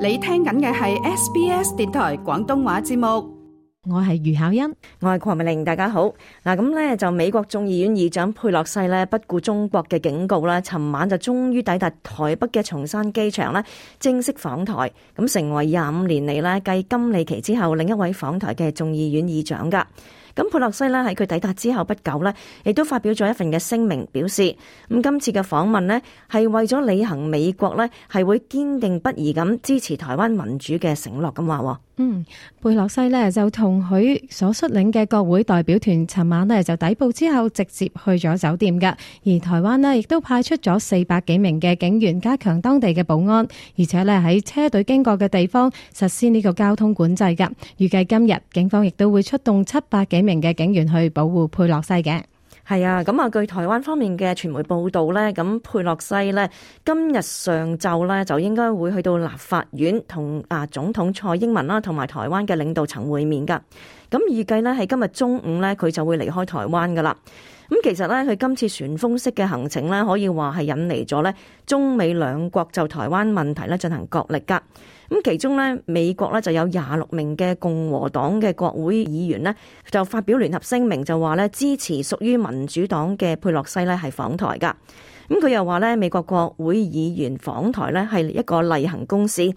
你聽緊嘅係 SBS 電台廣東話節目。我係余巧欣，我係鄺美玲，大家好。咁呢就美國眾議院議長佩洛西呢不顧中國嘅警告啦，尋晚就終於抵達台北嘅松山機場呢正式訪台，咁成為25年嚟呢繼金里奇之後另一位訪台嘅眾議院議長噶。咁佩洛西呢喺佢抵達之後不久呢，亦都發表咗一份嘅聲明，表示咁今次嘅訪問呢係為咗履行美國呢係會堅定不移咁支持台灣民主嘅承諾咁話。佩洛西呢就同佢所率領嘅國會代表團尋晚呢就抵埗之後直接去咗酒店㗎，而台灣呢亦都派出咗400幾名嘅警員加強當地嘅保安，而且呢喺車隊經過嘅地方實施呢個交通管制㗎。預計今日警方亦都會出動700幾名嘅警員去保護佩洛西嘅。係啊，咁據台灣方面嘅傳媒報道呢，咁佩洛西呢今日上晝呢就應該會去到立法院同總統蔡英文啦，同埋台灣嘅領導層會面噶。咁預計呢係今日中午呢佢就會離開台灣噶啦。咁其實呢佢今次旋風式嘅行程呢，可以話係引嚟咗呢中美兩國就台灣問題呢進行角力噶。咁其中呢，美國呢就有26名嘅共和黨嘅國會議員呢，就發表聯合聲明，就話呢支持屬於民主黨嘅佩洛西呢係訪台噶。咁佢又話呢，美國國會議員訪台呢係一個例行公事。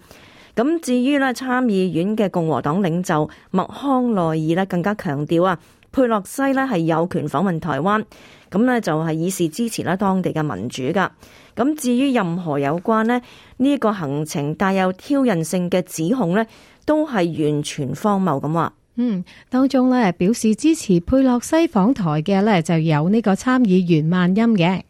咁至於呢參議院嘅共和黨領袖麥康奈爾呢，更加強調佩洛西呢係有權訪問台灣，咁呢就係以示支持啦當地嘅民主噶。咁至於任何有關呢個行程帶有挑釁性嘅指控呢，都係完全荒謬咁話。當中呢表示支持佩洛西訪台嘅呢就有呢個參議員萬欽嘅。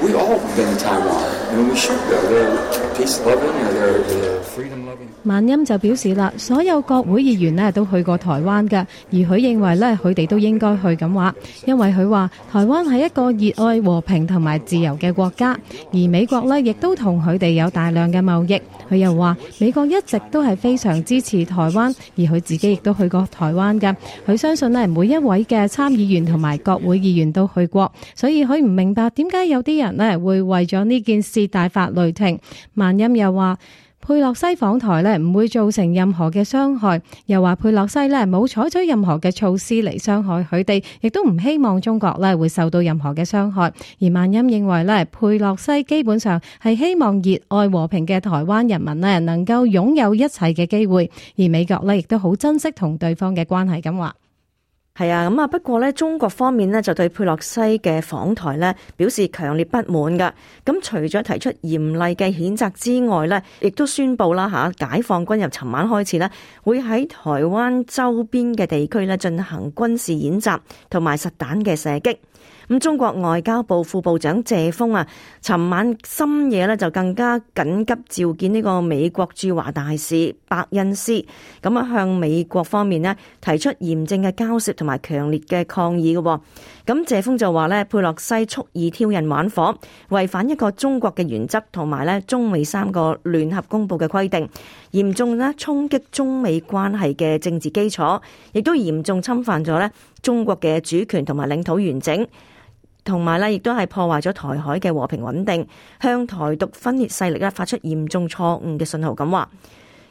We all been to Taiwan, and we should go. They're peace-loving, they're freedom-loving. 萬欽就表示啦，所有國會議員呢都去過台灣㗎，而佢認為呢佢哋都應該去咁話，因為佢話台灣係一個熱愛和平同埋自由嘅國家，而美國呢亦都同佢哋有大量嘅貿易。佢又話美國一直都係非常支持台灣，而佢自己亦都去過台灣㗎。佢相信呢每一位嘅參議員同埋國會議員都去過，所以佢唔明白點解有啲人呢會為咗呢件事大發雷霆。萬欽又話佩洛西訪台呢唔會造成任何嘅傷害，又話佩洛西呢冇採取任何嘅措施嚟傷害佢哋，亦都唔希望中國呢會受到任何嘅傷害。而萬欽認為呢佩洛西基本上係希望熱愛和平嘅台灣人民呢能夠擁有一切嘅機會，而美國呢亦都好珍惜同對方嘅關係咁話。係啊，不過呢中國方面呢就對佩洛西嘅訪台呢表示強烈不滿噶。咁除咗提出嚴厲嘅譴責之外呢，亦都宣布啦解放軍由尋晚開始呢會喺台灣周邊嘅地區呢進行軍事演習同埋實彈嘅射擊。咁中國外交部副部長謝鋒尋晚深夜呢就更加緊急召見呢個美國駐華大使伯恩斯，咁向美國方面呢提出嚴正嘅交涉同埋強烈嘅抗議嘅。咁謝鋒就話呢佩洛西蓄意挑釁玩火，違反一個中國嘅原則同埋呢中美3個聯合公佈嘅規定，嚴重呢衝擊中美關係嘅政治基礎，亦都嚴重侵犯咗呢中國嘅主權同埋領土完整。同埋咧，亦都係破壞咗台海嘅和平穩定，向台獨分裂勢力咧發出嚴重錯誤嘅信號咁話。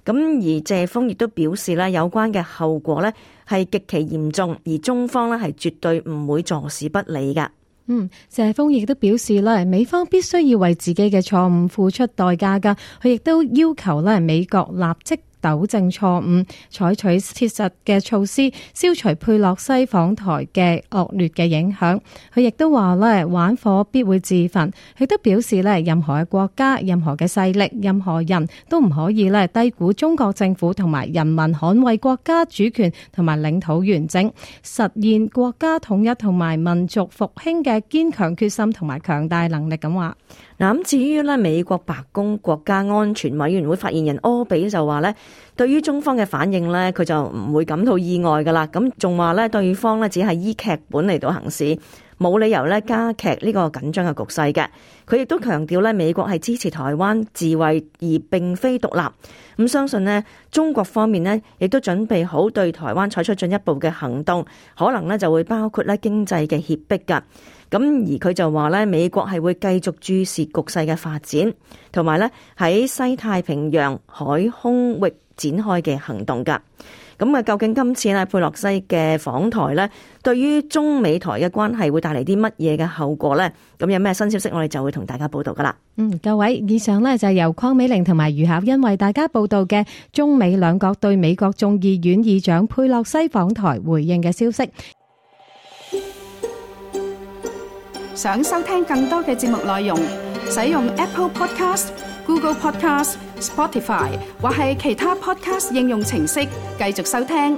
咁而謝鋒亦都表示咧，有關嘅後果咧係極其嚴重，而中方咧係絕對唔會坐視不理㗎。謝鋒亦都表示咧，美方必須要為自己嘅錯誤付出代價㗎。佢亦都要求咧美國立即糾正錯誤，採取切實嘅措施，消除佩洛西訪台嘅惡劣嘅影響。佢亦都話咧，玩火必會自焚。佢都表示咧，任何嘅國家、任何嘅勢力、任何人都唔可以咧低估中國政府同埋人民捍衛國家主權同埋領土完整、實現國家統一同埋民族復興嘅堅強決心同埋強大能力咁話。咁至於咧，美國白宮國家安全委員會發言人柯比就話咧，對於中方嘅反應咧，佢就唔會感到意外噶啦。咁仲話咧，對方咧只係依劇本嚟到行事，冇理由咧加劇呢個緊張嘅局勢嘅。佢亦都強調咧，美國係支持台灣自衛而並非獨立。咁相信呢，中國方面呢亦都準備好對台灣採取進一步嘅行動，可能呢就會包括咧經濟嘅脅迫噶。咁而佢就話咧，美國係會繼續注視局勢嘅發展，同埋咧喺西太平洋海空域展開嘅行動㗎。咁啊，究竟今次咧佩洛西嘅訪台咧，對於中美台嘅關係會帶嚟啲乜嘢嘅後果呢？咁有咩新消息，我哋就會同大家報道噶啦。各位，以上呢就係由鄺美玲同埋余巧欣為大家報道嘅中美兩國對美國眾議院議長佩洛西訪台回應嘅消息。想收聽更多嘅節目內容，使用 Apple Podcast、Google Podcast、Spotify 或係其他 Podcast 應用程式繼續收聽。